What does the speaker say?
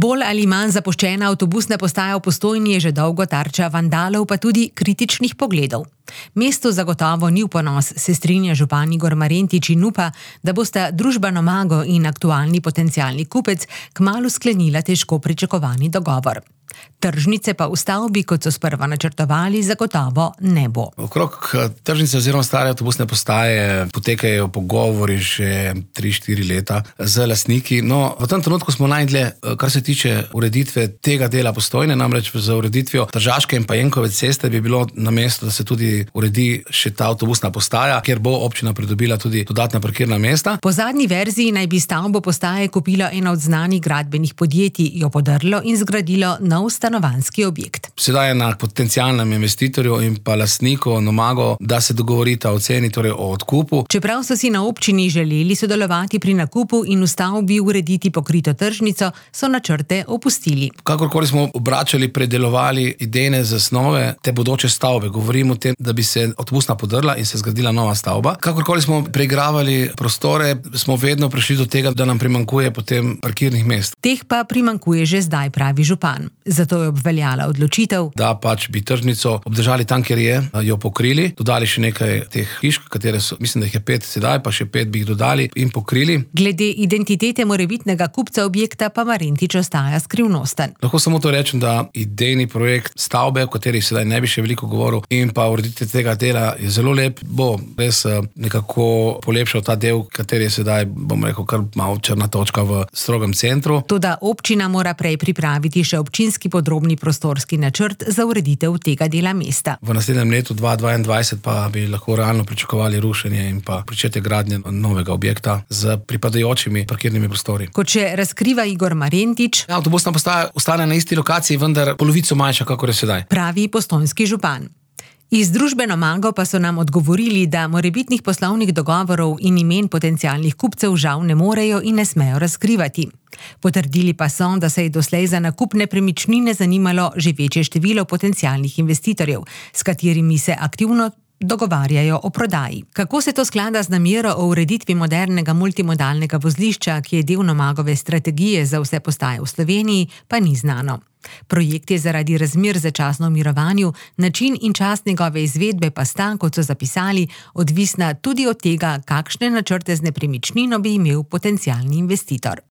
Bolj ali manj zapuščena avtobusna postaja v Postojni je že dolgo tarča vandalov, pa tudi kritičnih pogledov. Mesto zagotovo ni v ponos, se strinja župan Igor Marentič in upa, da bosta družba Nomago in aktualni potencialni kupec kmalu sklenila težko pričakovani dogovor. Tržnice pa v stavbi, kot so sprva načrtovali, zagotovo ne bo. Okrog tržnice oziroma stare avtobusne postaje potekajo pogovori že 3-4 leta z lastniki. No, v tem trenutku smo najdlje, kar se tiče ureditve tega dela Postojne, namreč za ureditvijo Tržaške in pa Jenkove ceste bi bilo na mestu, da se tudi uredi še ta avtobusna postaja, kjer bo občina pridobila tudi dodatna parkirna mesta. Po zadnji verziji naj bi stavbo postaje kupilo eno od znanih gradbenih podjetij, jo podrlo in zgradilo nov stanovanjski objekt. Sedaj je na potencialnem investitorju in pa lastniku Nomago, da se dogovorita o ceni, torej o odkupu. Čeprav so si na občini želeli sodelovati pri nakupu in v stavbi urediti pokrito tržnico, so načrte opustili. Kakorkoli smo obračali, predelovali idejne zasnove te bodoče stavbe, govorimo o tem, da bi se avtobusna podrla in se zgradila nova stavba. Kakorkoli smo preigravali prostore, smo vedno prišli do tega, da nam primanjkuje potem parkirnih mest. Teh pa primanjkuje že zdaj, pravi župan. Zato je obveljala odločitev, da pač bi tržnico obdržali tam, kjer je, jo pokrili, dodali še nekaj teh hiš, katere so, mislim, da jih je 5 sedaj, pa še 5 bi jih dodali in pokrili. Glede identitete morebitnega kupca objekta pa Marentič ostaja skrivnosten. Lahko samo to rečem, da idejni projekt stavbe, o kateri sedaj ne bi še veliko govoril, in pa ureditev tega dela je zelo lep, bo res nekako polepšal ta del, kateri je sedaj, bom rekel, kar malo črna točka v strogem centru. Toda občina mora prej pripraviti še občinski podrobni prostorski načrt za ureditev tega dela mesta. V naslednjem letu 2022 pa bi lahko realno pričakovali rušenje in pa pričetje gradnje novega objekta z pripadajočimi parkirnimi prostori. Kot še razkriva Igor Marentič, avtobusna postaja ostane na isti lokaciji, vendar polovico manjša, kakor je sedaj, pravi postojnski župan. Iz družbe Nomago pa so nam odgovorili, da morebitnih poslovnih dogovorov in imen potencialnih kupcev žal ne morejo in ne smejo razkrivati. Potrdili pa so, da se je doslej za nakup nepremičnine zanimalo že večje število potencialnih investitorjev, s katerimi se aktivno dogovarjajo o prodaji. Kako se to sklada z namero o ureditvi modernega multimodalnega vozlišča, ki je del Nomagove strategije za vse postaje v Sloveniji, pa ni znano. Projekt je zaradi razmer začasno v mirovanju, način in čas njegove izvedbe pa sta, kot so zapisali, odvisna tudi od tega, kakšne načrte z nepremičnino bi imel potencialni investitor.